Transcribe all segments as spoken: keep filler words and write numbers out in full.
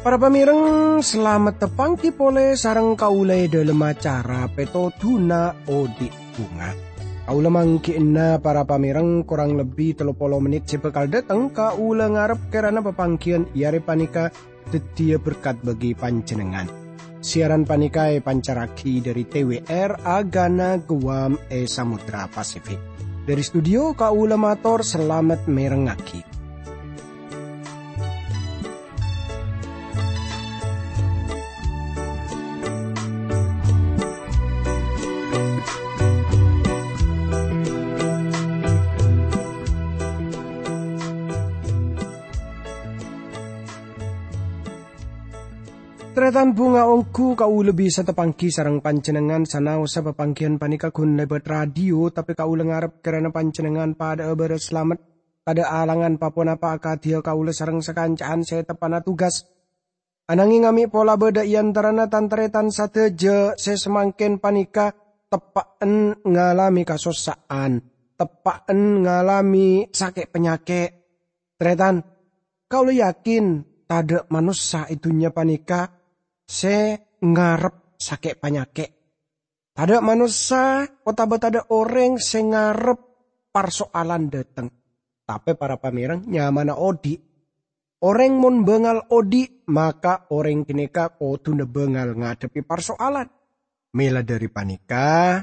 Para pamèreng, salamet tapangghi polè sareng kaulâ è dhâlem acara Pètodhuna Odi' Bhunga. Kaulâ mangghi'na para pamèreng korang lebbi tello polo mennit sè bhâkal dhâteng, kaulâ ngarep kèrana papangghiyân è arè panèka dhâddhiyâ berkat bagi panjhennengngan. Siaran panèka èpancarraghi dhâri T W R Agana Guam è Samudra Pasifik. Dhâri studio kaulâ mator salamet mèrengngaghi. Tarètan bhunga, ongghu kaulâ bisa tapangghi sareng panjhennengngan sanaossa papangghiyân panèka ghun lèbât radio, tapè kaulâ ngarep kèrana panjhennengngan padhâ'â bârâs salamet, tadâ' alangan pa-ponapa akadhiyâ kaulâ sareng sakanca'an sè teppa'na tugas. Ananghing amè' pola bâdâ è antarana tan-tarètan sadhâjâ sè samangkèn panèka teppa'en ngalamè kasossa'an, teppa'en ngalamè sakè' panyakè'. Tarètan, kaulâ yakin tadâ' manossa è dhunnya panèka sè ngarep sakè' panyakè'. Tadâ' manossa otabâ tadâ' orèng sè ngarep parsoalan dhâteng. Tapè para pamèreng, nyamana odi'. Orèng mon bângal odi', maka orèng ghânèka kodhuna bângal ngadhebbhi parsoalan. Mèla dhâri panèka,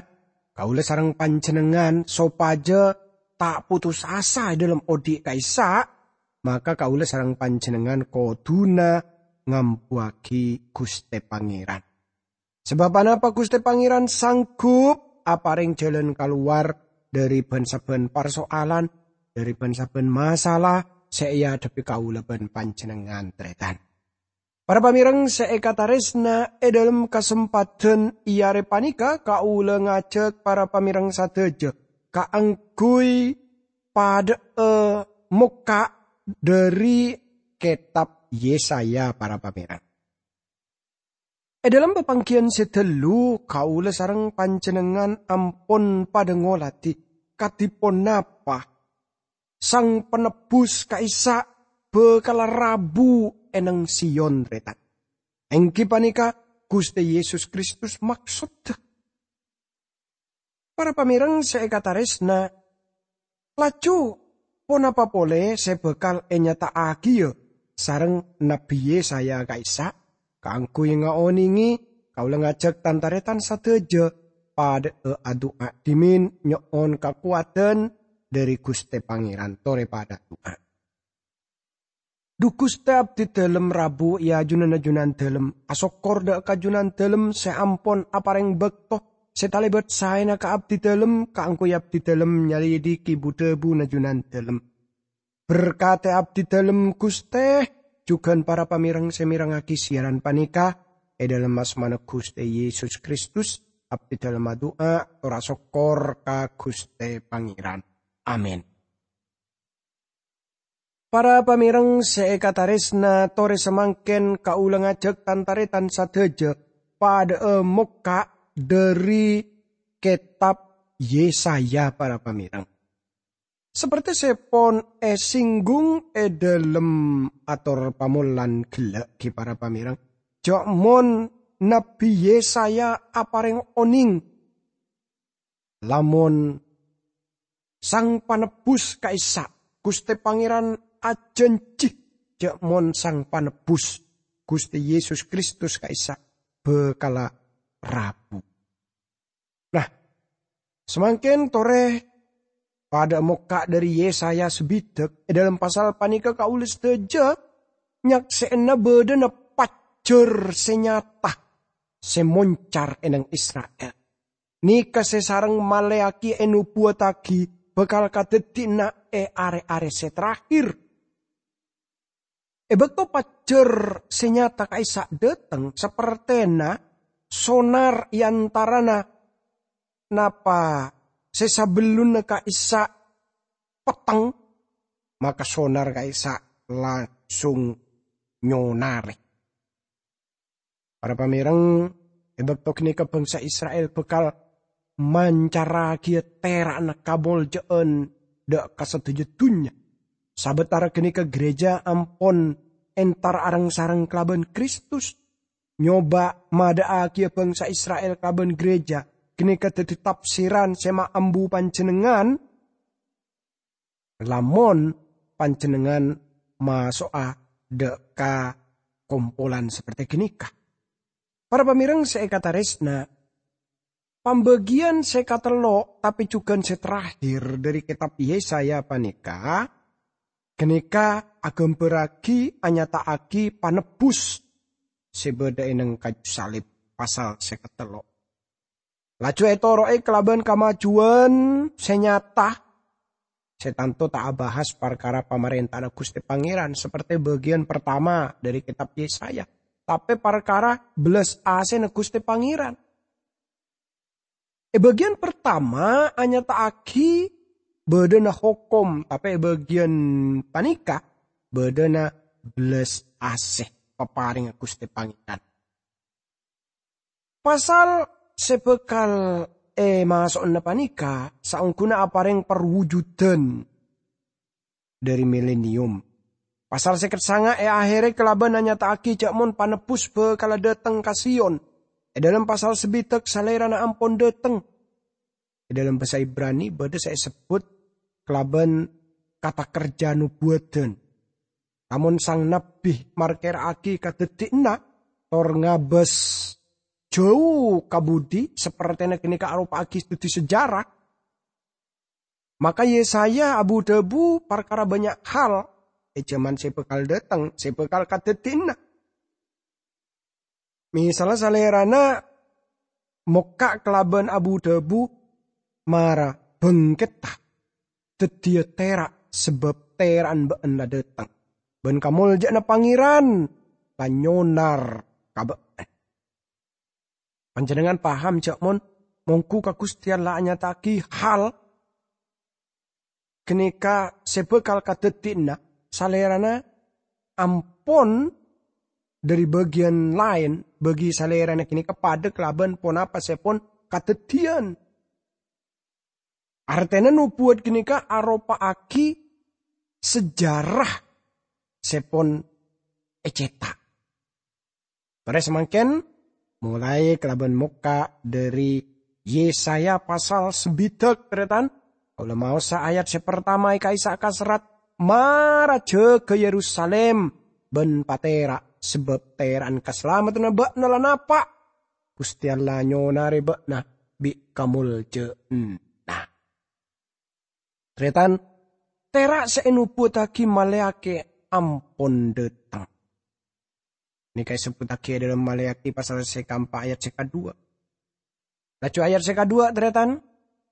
kaulâ sareng panjhennengngan sopajâ ta' potos asa è dhâlem odi' ka'issa', maka kaulâ sareng panjhennengngan kodhuna ngambuwâghi Ghustè Pangèran. Sabâb anapa Ghustè Pangèran sanggup aparèng jhâlân kalowar dhâri bân-sabbhân parsoalan, dhâri bân-sabbhân masalah sè èadhebbhi kaulâ bân panjhennengngan, tarètan. Para pamèreng sè èkatarèsna, è dhâlem kasempadhân è arè panèka kaulâ ngajhâk para pamèreng sadhâjâ kaangghuy padhâ'â mokka' dhâri kètab Yesaya, para pamèreng. È dhâlem papangghiyân sè ghâllu, kaulâ sareng panjhennengngan ampon padhâ ngolatè kadhi ponapa Sang Panebbhus ka'issa' bhâkal rabu è neng Sion, tarètan. Èngghi panèka Ghustè Yesus Kristus maksoddhâ. Para pamèreng sè èkatarèsna, laju ponapa polè sè bhâkal ènyata'aghiyâ sareng Nabbhi Yesaya ka'issa'? Kaangghuy ngaonèngè, kaulâ ngajhâk tan-tarètan sadhâjâ padhâ'â adu'a dhimèn nyo'on kakowadhân dhâri Ghustè Pangèran. Torè padhâ adu'a. Dhu Ghustè, abdhidhâlem rabu è ajunanna Junandhâlem, asokkor dhâ' ka Junandhâlem sè ampon aparèng bâkto sè talèbât saèna ka abdhidhâlem kaangghuy abdhidhâlem nyalidhiki bu-dhâbuna Junandhâlem. Berkatè abdhidhâlem, Ghustè, jhughân para pamèreng sè mèrengngaghi siaran panèka. È dhâlem asmana Ghustè Yesus Kristus, abdhidhâlem adu'a, tor asokkor ka Ghustè Pangèran. Amin. Para pamèreng sè èkatarèsna, torè samangkèn kaulâ ngajhâk tan-tarètan sadhâjâ padhâ'â mokka' dhâri kètab Yesaya, para pamèreng. Saperti sè pon èsinggung è dhâlem ator pamolan ghellâ' ghi, para pamèreng, jhâ' mon Nabbhi Yesaya aparèng onèng, lamon Sang Panebbhus ka'issa', Ghustè Pangèran ajhânjhi jhâ' mon Sang Panebbhus, Ghustè Yesus Kristus ka'issa', bhâkala rabu. Nah, samangkèn torè padhâ mokka' dhâri Yesaya sabidhâk, è dhâlem pasal panèka kaulâ sadhâjâ nyaksè'ana bâdâna pajhâr sè nyata sè moncar è neng Isra'il. Nèka sè sareng malèyaghi ènobuwattaghi bhâkal kadhâddhiyâna è arè-arè sè terakhir. È bâkto pajhâr sè nyata ka'issa' dhâteng, sapertèna sonar è antarana napa sè sabellunna ka'issa' petteng, maka sonar ka'issa' langsung nyonarè. Para pamèreng, è bâkto ghânèka bhângsa Isra'il bhâkal mancarraghi tera'na kamoljâ'ân dâ' ka sadhâjâ dhunnya. Sabâtara ghânèka ghârèjâ ampon entar areng-sareng kalabân Kristus. Nyoba madâ'aghiyâ bhângsa Isra'il kalabân ghârèjâ ghânèka dhâddhi tafsiran sè maambu panjhennengngan, lamon panjhennengngan maso'a dâ' ka kompolan saperti ghânèka. Para pamèreng sè èkatarèsna, pambâgiyân sè katello', tapè jhughân sè terakhir dhâri kètab Yesaya panèka, ghânèka aghâmbhârraghi, anyata'aghi panebbhus sè bâdâ è neng kaju salib, pasal sè katello'. Laju ètoro'è kalabân kamajuwân sè nyata, sè tanto ta' abahas parkara pamarènta'anna Ghustè Pangèran saperti bâgiyân partama dhâri kètab Yesaya, tapè parkara bellas asèna Ghustè Pangèran. È bâgiyân partama anyata'aghi bâdâna hokom, tapè è bâgiyân panèka bâdâna bellas asè paparèngnga Ghustè Pangèran. Pasal sè bhâkal èmaso'ana panèka saongghuna aparèng parwujudan dhâri milenium. Pasal sèket sanga' è ahèrra kalabân anyata'aghi jâ' mon panebbhus bhâkalla dâteng ka Sion. È dâlem pasal sabidhâk Salèrana ampon dâteng. È dâlem bhâsa Ibrani bâdâ sè èsebbhut kalabân kata kerja nobuwadhân. Lamon sang nabbhi markèra'aghi kadhâddhiyânna tor ngabâs jhâu ka budi, sapertèna ghânèka aropa'aghi dhâddhi sejarah, maka Yesaya abu-dhâbu parkara bânnya' hal è jhâman sè bhâkal dâteng, sè bhâkal kadhâddhiyânna. Misalla Salèrana mokka' kalabân abu-dhâbu, "Mara, bhângketta, dhâddhiyâ tera', sabâb tera'an bâ'ân la dâteng, bân kamoljâ'ânna Pangèran la nyonar ka bâ'ân." Panjhennengngan paham jâ' mon mongghu ka Ghustè Allah anyata'aghi hal ghânèka sè bhâkal kadhâddhiyânna, Salèrana ampon dhâri bâgiyân laèn, bâgi Salèrana ghânèka padâ kalabân ponapa sè pon kadhâddhiyân. Artèna nobuwat ghânèka aropa'aghi sejarah sè pon ècèta'. Torè samangkèn, molaè kalabân mokka' dhâri Yesaya pasal sabidhâk, tarètan. Kaulâ maosa ayat sè partama è ka'issa' kaserrat, "Mara jâgâ Yerusalim bân patera', sabâb tera'an kasalameddhânna bâ'na la napa'. Ghustè Allah nyonarè bâ'na bi' kamoljâ'ânna." Tarètan, tera' sè ènobuwattaghi Maleakhi ampon dâteng. Nèka èsebbhuttaghi è dâlem Maleakhi pasal sè kaempa' ayat sè kadhuwâ'. Laju ayat sè kadhuwâ', tarètan,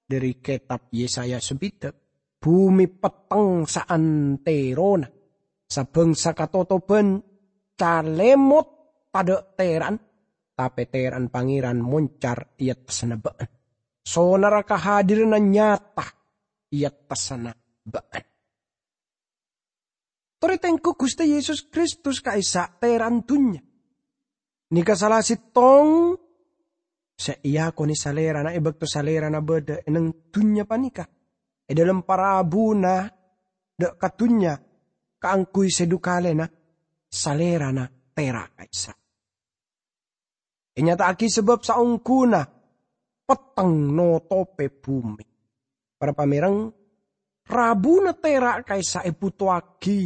dhâri kètab Yesaya sabidhâk, "Bhumè petteng saantèrona, sabângsa katotobhân calèmot tadâ' tera'an, tapè tera'an Pangèran moncar è attassanna bâ'na. Sonarra kahadiranna nyata è attassanna bâ'na." Torè tèngghu Ghustè Yesus Kristus ka'issa' tera'an dhunnya. Nèka sala sèttong sè èakonè Salèrana è bâkto Salèrana bâdâ è neng dhunnya panèka. È dâlem parabuna dâ' ka dhunnya kaangghuy sè dhu kalèna, Salèrana tera' ka'issa'. Ènyata'aghi sabâb saongghuna petteng notopè bhumè. Para pamèreng, rabuna tera' ka'issa' èbhutoaghi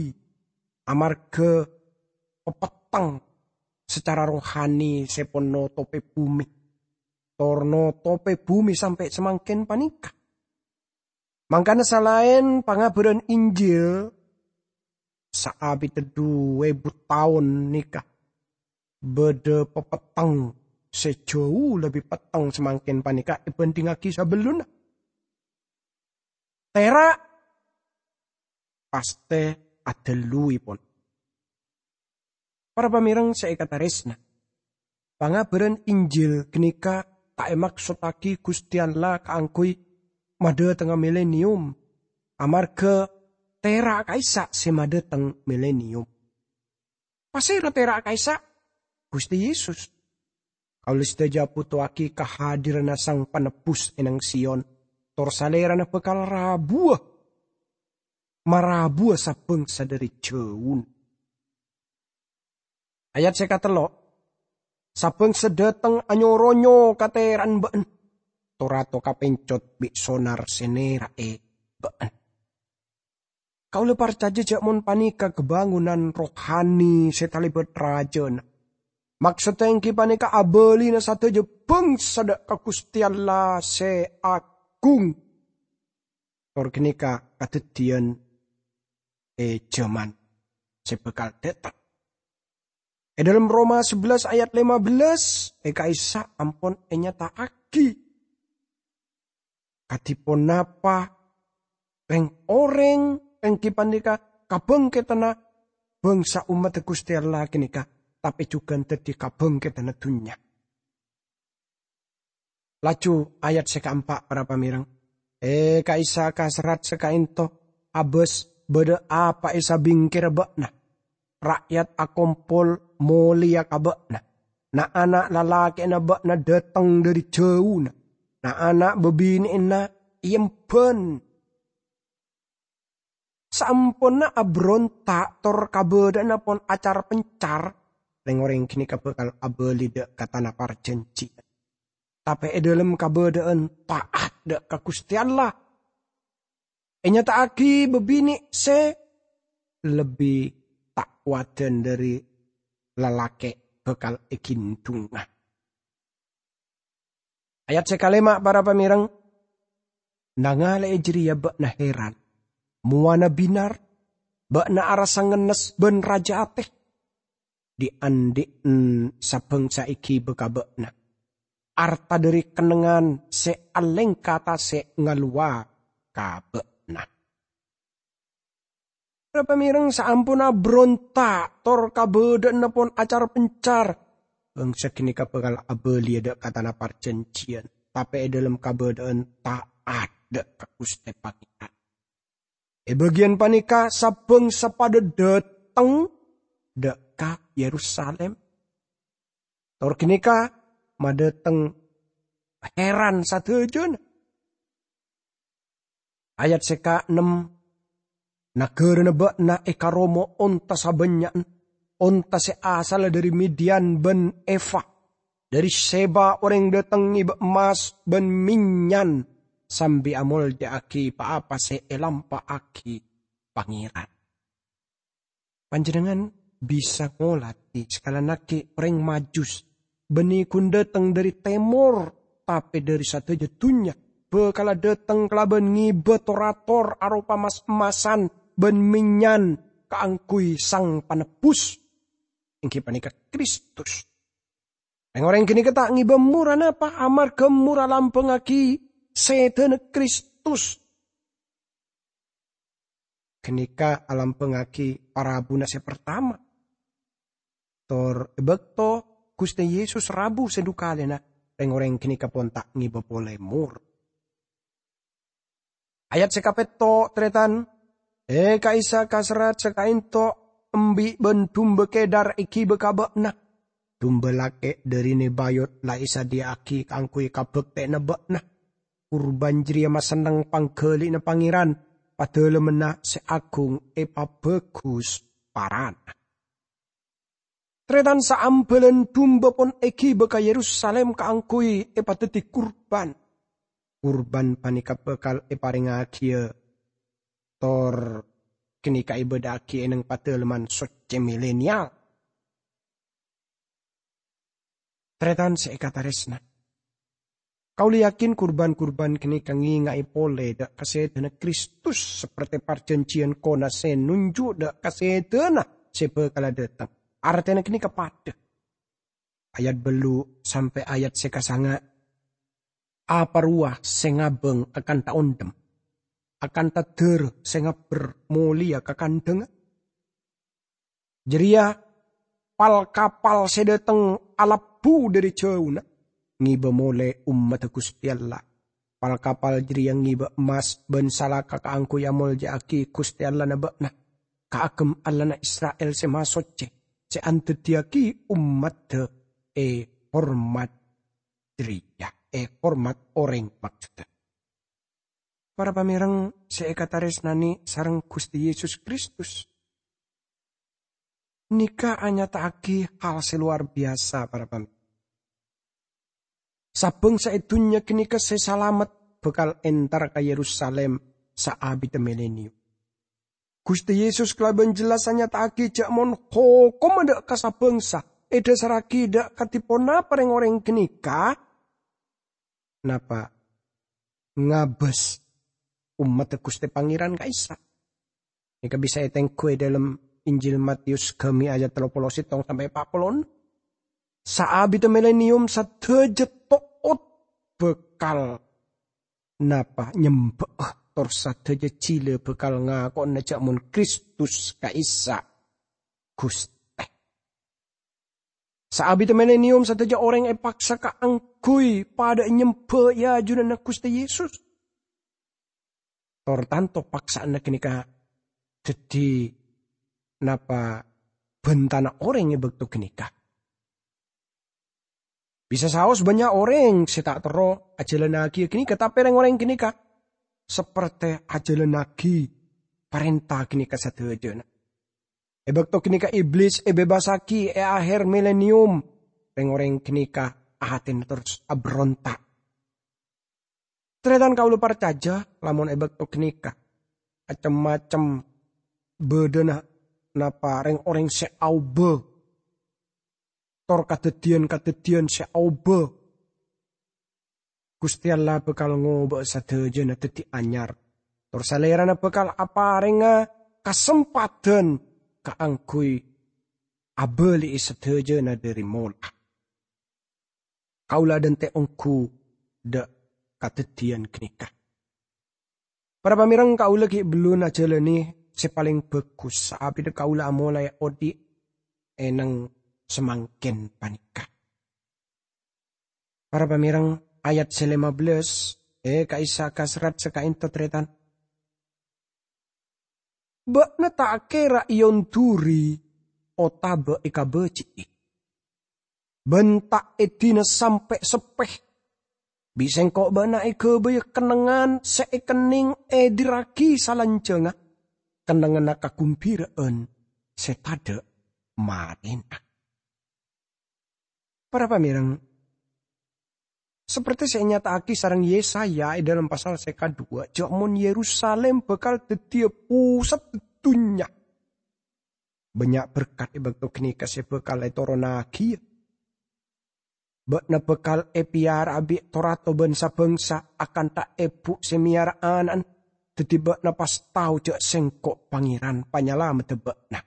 amarghâ papetteng sacara rohani sè pon notopè bhumè, tor notopè bhumè sampè' samangkèn panèka. Mangkana salaèn pangabhârân Injil, saabidda dhu èbu taon nèka bâdâ papetteng sè jhâu lebbi petteng samangkèn panèka èbhândhingngaghi sabellunna. Tera' pastè adâlluèpon. Para pamèreng sè èkatarèsna, pangabhârân Injil ghânèka ta' èmaksottaghi Ghustè Allah kaangghuy madhâtengnga milenium, amarghâ tera' ka'issa' sè madhâteng milenium. Pasèra tera' ka'issa'? Ghustè Yesus. Kaulâ sadhâjâ abhutowaghi kahadiranna Sang Panebbhus è nang Sion, tor Salèrana bhâkal rabuwâ, marabuwâ sa-bhângsa dhâri jhâuna. Ayat sè katello', "Sa-bhângsa dhâteng anyo-ronyo ka tèran bâ'na, to-rato kapencot bi' sonar sè nèra'è bâ'na." Kaulâ parcajâ jhâ' mon panèka kabângonan rohani sè talèbât rajâna. Maksoddhâ èngghi panèka abâlina sadhâjâ bhângsa dhâ' ka Ghustè Allah sè aghung. Tor ghânèka kadhâddhiyân è jhâman sè bhâkal dhâteng. È dhâlem Roma sabellâs ayat lèma bellâs, è ka'issa' ampon ènyata'aghi kadhi ponapa rèng-orèng èngghi panèka kabhângkèdhânna bhângsa ommaddhâ Ghustè Allah ghânèka, tapè jhughân dhâddhi kabhângkèdhânna dhunnya. Laju ayat sè kaempa', para pamèreng. "È ka'issa' kaserrat sè ka'ènto, abâs bâdâ apa è sabingkèrra bâ'na. Ra'yat akompol molèya ka bâ'na. Na'-ana' lalakè'na bâ'na dhâteng dhâri jhâuna. Na'-ana' bâbinè'anna èemban." Saamponna abronta' tor kabâdâ'ânna pon acar-pencar, rèng-orèng ghânèka bhâkal abâli dhâ' ka tana parjhânjhiyân. Tapè è dhâlem kabâdâ'ân ta'at dhâ' ka Ghustè Allah, ènyata'aghi bâbinè' sè lebbi ta' kowadhân dhâri lalakè' bhâkal èghindhungnga. Ayat sè kalèma', para pamèreng, "Nangalè'è jârèya bâ'na hèran. Mowana bhinar, bâ'na arassa ngennes bân rajâ atè. Dhi'-andhi'en sa-bhângsa èghibâ ka bâ'na. Arta dhâri kennengngan sè alèngka tasè' ngalowa ka bâ'na." Para pamèreng, saamponna abronta' tor kabâdâ'ânna pon acar-pencar, bhângsa ghânèka bhâkal abâliyâ dhâ' ka tana parjhânjhiyân, tapè è dhâlem kabâdâ'ân ta'at dhâ' ka Ghustè Pangèran. È bâgiyân panèka, sa-bhângsa padâ dhâteng dhâ' ka Yerusalim. Tor ghânèka madhâteng hèran sadhâjâna. Ayat sè kaennem, "Naghârâna bâ'na èkaromo onta sabânnya'an, onta sè asalla dhâri Midian bân Efa. Dhâri Seba orèng dhâteng ngibâ emmas bân mennyan sambi amolja'aghi pa-apa sè èlampa'aghi Pangèran." Panjhennengngan bisa ngolatè, sakalangkong orèng Majus, bânnè ghun dhâteng dhâri tèmor, tapè dhâri sadhâjâ dhunnya, bhâkalla dhâteng kalabân ngibâ tor-ator aropa mas-emmasan bân mennyan kaangghuy Sang Panebbhus, èngghi panèka Kristus. Rèng-orèng ghânèka ta' ngibâ mor anapa, amarghâ mor alambhângaghi sèdhâna Kristus. Ghânèka alambhângaghi parabuna sè partama. Tor è bâkto Ghustè Yesus rabu sè dhu kalèna, rèng-orèng ghânèka pon ta' ngibâ polè mor. Ayat sè kapètto', tarètan, "È ka'issa' kaserrat sè ka'ènto embi' bân dumba kèdar èghibâ ka bâ'na. Dumba lakè' dhâri Nebayot la èsadhiyâ'aghi kaangghuy kabhâktè'anna bâ'na. Kurban jârèya masenneng pangghâli'na Pangèran, padâlemmanna sè aghung èpabhâghus parana." Tarètan, saambâlân dumba pon èghibâ ka Yerusalim kaangghuy èpadhâddhi kurban. Kurban panèka bhâkal èparèngngagiyâ tor ghânèka èbâdâ'aghi è neng Padâlemman Soccè Milenial. Tarètan sè èkatarèsna, kaulâ yakin kurban-kurban ghânèka ngènga'è polè dhâ' ka sèdhâna Kristus, saperte parjhânjhiyân kona sè nonjhu' dhâ' ka sèdhâna sè bhâkalla dhâteng. Artèna ghânèka padâ. Ayat bâllu' sampè' ayat sè kasanga', "Apa rowa sè ngabâng akanta ondhem, akanta dârâ sè ngabbher molèya ka kandhângnga?" Jârèya pal-kapal sè dhâteng alebbhu dhâri jhâuna, ngibâ molè ommaddhâ Ghustè Allah. Pal-kapal jârèya ngibâ emmas bân salaka kaangghuy amolja'aghi Ghustè Allahna bâ'na, kaagem Allahna Isra'il sè masoccè, sè andhâddhiyâghi ommaddhâ è hormat jârèya, è, hormat orèng maksodda. Para pamèreng sè èkatarèsnanè sareng Ghustè Yesus Kristus, nèka anyata'aghi hal sè lowar biyasa, para pamèreng. Sabângsa è dhunnya ghânèka sè salamet bhâkal entar ka Yerusalim saabidda mileniyum. Ghustè Yesus kalabân jelas anyata'aghi jâ' mon hokomma dâ' ka sabângsa èdhâsarraghi dâ' kadhi ponapa rèng-orèng ghânèka, napa, ngabâs ommaddhâ Ghustè Pangèran ka'issa'. Nèka bisa ètengghu è dhâlem Injil Matius ghâmi ayat tello polo sèttong sampè' pa' polo ennem. Saabidda mileniyum sadhâjâ to'ot bhâkal napa nyembâ'â, tor sadhâjâ jhilâ bhâkal ngako'ana jâ' mon Kristus ka'issa' Ghustè. Saabidda mileniyum sadhâjâ orèng èpaksa kaangghuy padâ nyembâ è ajunanna Ghustè Yesus. Tor tanto paksa'anna ghânèka dhâddhi napa bhântana orèng è bâkto ghânèka. Bisa saos bânnya' orèng sè ta' terro ajhâlânnaghi ghânèka, tapè rèng-orèng ghânèka saperte ajhâlânnaghi parènta ghânèka sadhâjâna. È bâkto ghânèka Iblis èbebasaghi è ahèr mileniyum, rèng-orèng ghânèka atèna terros aberonta'. Tarètan kaulâ parcajâ, lamon è bâkto ghânèka, cem-macem bâdâna napa rèng-orèng sè aobâ, tor kadhâddhiyân-kadhâddhiyân sè aobâ. Ghustè Allah bhâkal ngobâ'â sadhâjâna dhâddhi anyar, tor Salèrana bhâkal aparènga kasempadhân kaangghuy abâli'i sadhâjâna dhâri mola. Kaulâ adhânte' ongghu dâ' kadhâddhiyân ghânèka. Para pamèreng, kaulâ ghi' bellun ajhâlâne sè palèng bhâghus, saabidda kaulâ amolaè odi' è neng samangkèn panèka. Para pamèreng, ayat sè lèma bellâs, è, ka'issa' kaserrat sè ka'ento, tarètan. Bâ'na ta' kèra èonduri otabâ èkabâji'i, bân ta' èdina sampè' seppè. Bi' sèngko' bâ'na èghâbâyâ kennengngan sè èkennèng èdirraghi salanjhângnga, kennengnganna kagumbira'an sè tadâ' marèna. Para pamèreng, saperte sè ènyata'aghi sareng Yesaya è dhâlem pasal sè kaduwâ', jâ' mon Yerusalim bhâkal dhâddhiyâ posaddhâ dhunnya, bânnya' berkat è bâkto ghânèka sè bhâkal ètoronnaghiyâ. Bâ'na bhâkal èpèyara'a bi' to-rato bân sabângsa akantha èbhu sè mèyara ana'na, dhâddhi bâ'na pas tao jâ' sèngko' Pangèran Panyalameddhâ bâ'na,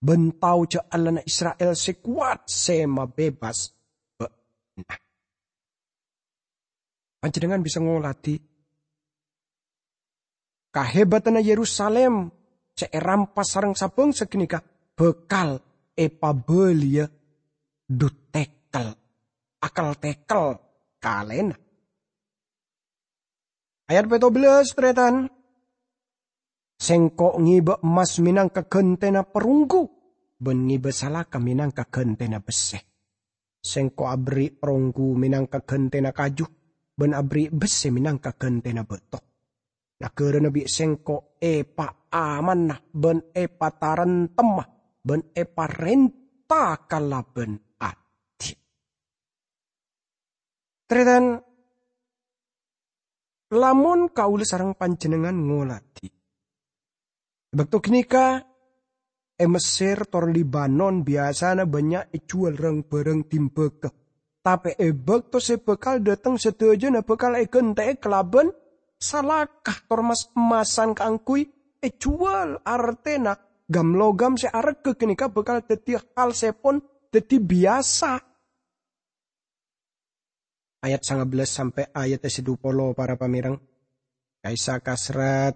bân tao jâ' Allahna Isra'il sè kowat sè mabebas bâ'na. Panjhennengngan bisa ngoladhi kahebatanna Yerusalim sè èrampas sareng sabângsa ghânèka bhâkal èpabâliyâ du-tekel, akel-tekel kalèna. Ayat pètto bellâs, tarètan. Sèngko' ngèbâ emmas mènangka ghântèna perunggu, bân ngèbâ salaka mènangka ghântèna bessè. Sèngko' aberri' perunggu mènangka ghântèna kaju, bân aberri' bessè mènangka ghântèna bâto. Naghârâna bi' sèngko' èpaamanna bân èpatarèntemma bân èparènta kalabân adil. Tarètan, lamon kaulâ sareng panjhennengngan ngoladhi, è bâkto ghânèka è Messer tor Libanon biyasana bânnya' èjhuwâl rang-bhârâng dimbâgâ. Tapè è bâkto sè bhâkal dhâteng sadhâjâna bhâkal èghântè'è kalabân salaka tor mas-emmasan kaangghuy èjhuwâl, artèna gam-logam sè arèghâ ghânèka bhâkal dhâddhi hal sè pon dhâddhi biyasa. Ayat sanga bellâs sampè' ayat sè du polo, para pamèreng. Ka'issa' kaserrat,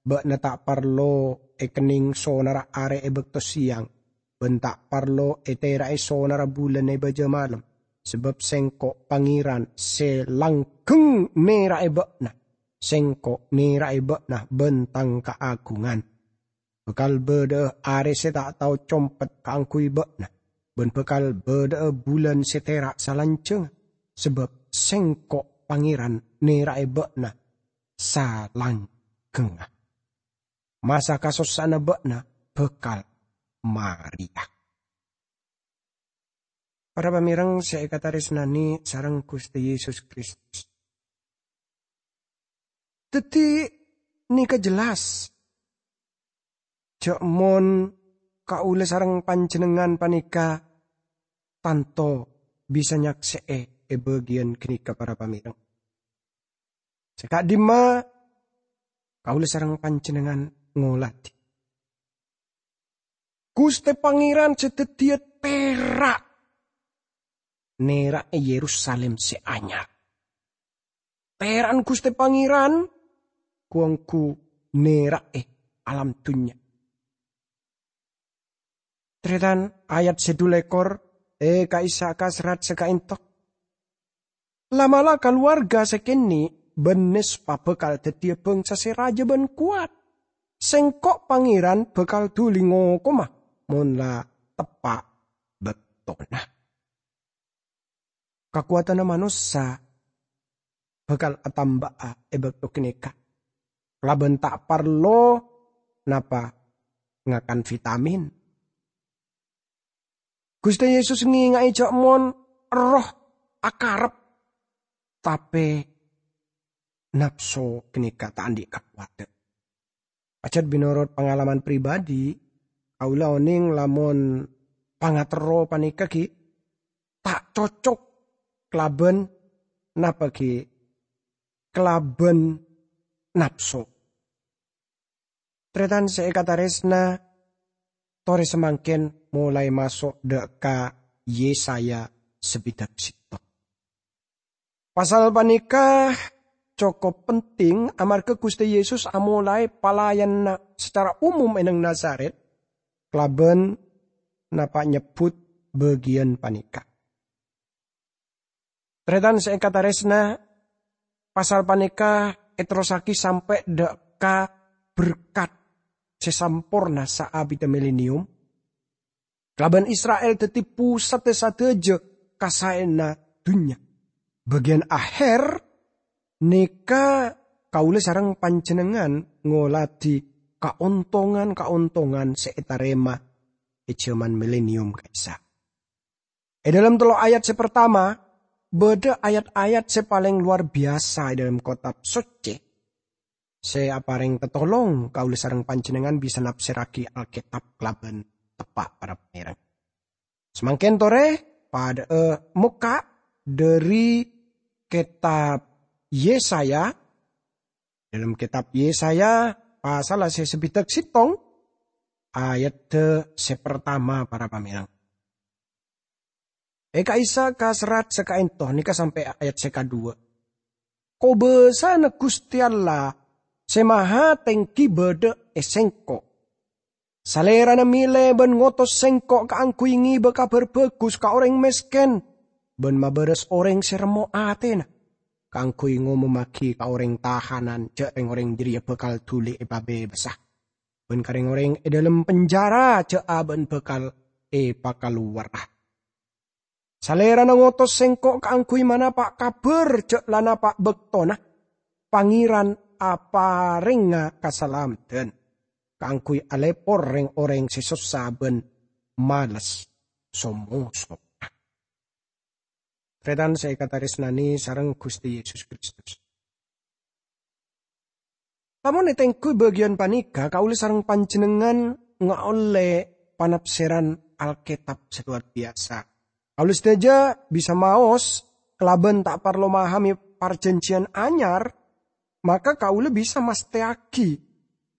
bâ'na ta' parlo èkennèng sonarra arè è bâkto sèyang, bân ta' parlo ètera'è sonarra bulân è bâjâ malem, sabâb Sèngko' Pangèran sè langghâng nèra'è bâ'na. Sèngko' nèra'è bâ'na bân Tang kaagungan. Bhâkal bâdâ'â arè sè ta' tao compet kaangghuy bâ'na. bân bhâkal bâdâ'â bulân sè tèra' salanjhângnga, sabâb Sèngko' Pangèran nèra'è bâ'na salangghângnga. Masa kasossa'anna bâ'na bhâkal marèya. Para pamèreng sè èkatarèsnanè sareng Ghustè Yesus Kristus. Dhâddhi, nèka jelas jhâ' mon kaulâ sareng panjhennengngan panèka tanto bisa nyaksè'è è bâgiyân ghânèka, para pamèreng. Sè ka'dimma kaulâ sareng panjhennengngan ngolatè. Ghustè Pangèran sè dhâddhiyâ tèra' nèra'è Yerusalim sè anyar. Tèra'an Ghustè Pangèran ghu-ongghu nèra'è alam dhunnya. Tarètan, ayat sè dhu lèkor è ka'issa' ka serrat sè ka'ènto. La'-mala' kalowarga sè kènè' bân nèspa bhâkal dhâddhiyâ bhângsa sè rajâ bân kowat. Sèngko' Pangèran bhâkal dhuli ngokoma mon la teppa' bâktona. Kakowadhânna manossa bhâkal atamba'a è bâkto ghânèka, kalabân ta' parlo napa ngakan vitamin. Ghustè Yesus ngènga'è jhâ' mon erroh akarep, tapè napso ghânèka ta' andi' kakowadhân. Pajhât mènorot pangalaman pribadi, kaulâ onèng lamon pangaterro panèka ghi' ta' cocok kalabân napa ghi'? Kalabân napso. Tarètan sè èkatarèsna, torè samangkèn molaè maso' dâ' ka Yesaya sabidhâk sèttong. Pasal panèka cokop penting amarghâ Ghustè Yesus amolaè palayanna sacara umum è neng Nazaret kalabân napa' nyebbhut bâgiyân panèka. Tarètan sè èkatarèsna, pasal panèka èterrossaghi sampè' dâ' ka berkat sè samporna saabiddhâ milenium. Kalabân Isra'il dhâddhi pusatdhâ sadhâjâ kasaèyanna dhunnya. Bâgiyân aher nèka kaulâ sareng panjhennengngan ngolatè kaontongan-kaontongan sè ètarèma è jhâman milenium ka'issa'. È dâlem tello' ayat sè partama, bâdâ ayat-ayat sè palèng lowar biyasa è dâlem Kètab Soccè, sè aparèng tatolong kaulâ sareng panjhennengngan bisa nafsèrraghi Alkètab kalabân teppa', para pamèreng. Samangkèn torè, padhâ'â mokka' dhâri Kètab Yesaya, dâlem Kètab Yesaya, pasalla sè sabidhâk sèttong, ayadda sè partama, para pamèreng. È ka'issa' ka serrat sè ka'ènto nèka sampè' ayat sè kaduwâ'. Kobâsana Ghustè Allah sè Mahatèngghi bâdâ è sèngko'. Salèrana mèlè bân ngotos sèngko' kaangghuy ngèbâ kabhâr bhâghus ka orèng mèskèn, bân mabârâs orèng sè remmo atèna, kaangghuy ngomommaghi ka orèng tahanan jhâ' rèng-orèng jârèya bhâkal dhuli èpabebasa, bân ka rèng-orèng è dâlem penjara jhâ' abâ'na bhâkal èpakalowara. Salèrana ngotos sèngko' kaangghuy manapa' kabhâr jhâ' la napa' bâktona, Pangèran aparèngnga kasalameddhân kaangghuy alèpor rèng-orèng sè sossa bân males so-mosona. Tarètan sè èkatarèsnanè sareng Ghustè Yesus Kristus. Lamon ètèngghuy bâgiyân panèka, kaulâ sareng panjhennengngan ngaollè panafsèran Alkètab sè lowar biyasa. Kaulâ sadhâjâ bisa maos kalabân ta' parlo mahamè Parjhânjhiyân Anyar, maka kaulâ bisa mastèyaghi,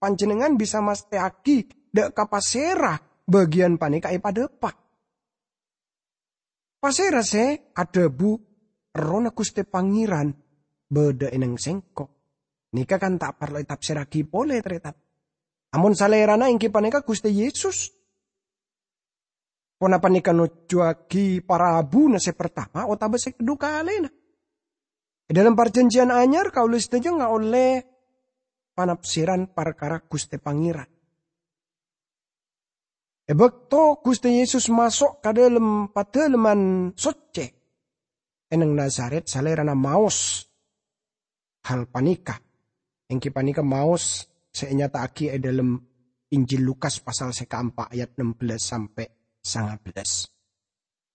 panjhennengngan bisa mastèyaghi dâ' ka pasèra bâgiyân panèka èpadâpa'. Pasèra sè adhâbu, "Errohna Ghustè Pangèran bâdâ è neng sèngko'." Nèka kan ta' parlo ètafsèrraghi polè, tarètan. Amon Salèrana èngghi panèka Ghustè Yesus. Ponapa nèka nojjhuwaghi parabuna sè partama otabâ sè kadhu kalèna? È dâlem Parjhânjhiyân Anyar, kaulâ sadhâjâ ngaollè panafsèran parkara Ghustè Pangèran. E bakto Guste Yesus maso' ka dhalem Padalemman Socce e nang Nazaret, Salerana maos hal paneka, enggi paneka maos se enyata'agi e dhalem Injil Lukas pasal se kaempa' ayat ennem belas sampe' sangabelas.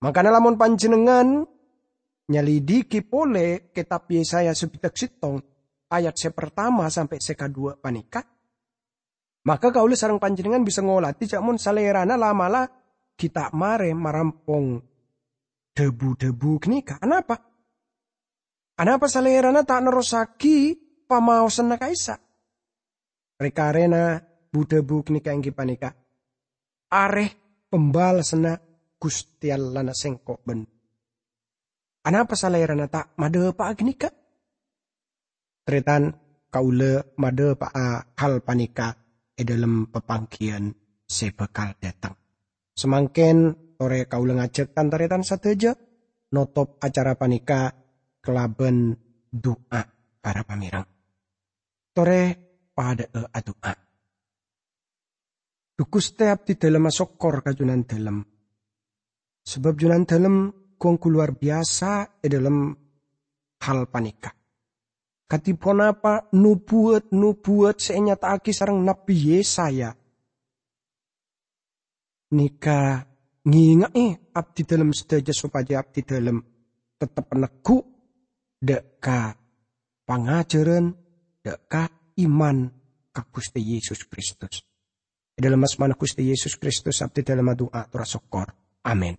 Mangkana lamon panjennengngan nyalidiki pole Ketab Yesaya sabidhak settong ayat se partama sampe' se kadhuwa paneka, maka kaula sareng panjennengngan bisa ngoladi ja' mon Salerana la'-mala' gi' ta' mare marampong dha-budhabu ganeka. Anapa? Anapa Salerana ta' nerrossagi pamaosanna ka'issa'? Re-karena bu-dhabu ganeka enggi paneka, "Are pambalasanna Guste Allahna sengko' ban." Anapa Salerana ta' madhapa'a ganeka? Taretan, kaula madhapa'a hal paneka e dhalem papanggiyan se bakal dhateng. Samangken tore kaula ngajak tan-taretan sadaja notop acara paneka kalaban du'a, para pamereng. Tore padha'a adu'a. Dhu Guste, abdidalem asokkor ka Junandalem, sabab Junandalem gu-onggu lowar biyasa e dhalem hal paneka. Kadhi ponapa nobuwat-nobuwat se enyata'agi sareng Nabbi Yesaya neka ngenga'e abdidalem sadaja sopaja abdidalem tettep neggu' dha' ka pangajaran, dha' ka iman ka Guste Yesus Kristus. E dhalem asmana Guste Yesus Kristus abdidalem adu'a tor asokkor. Amin.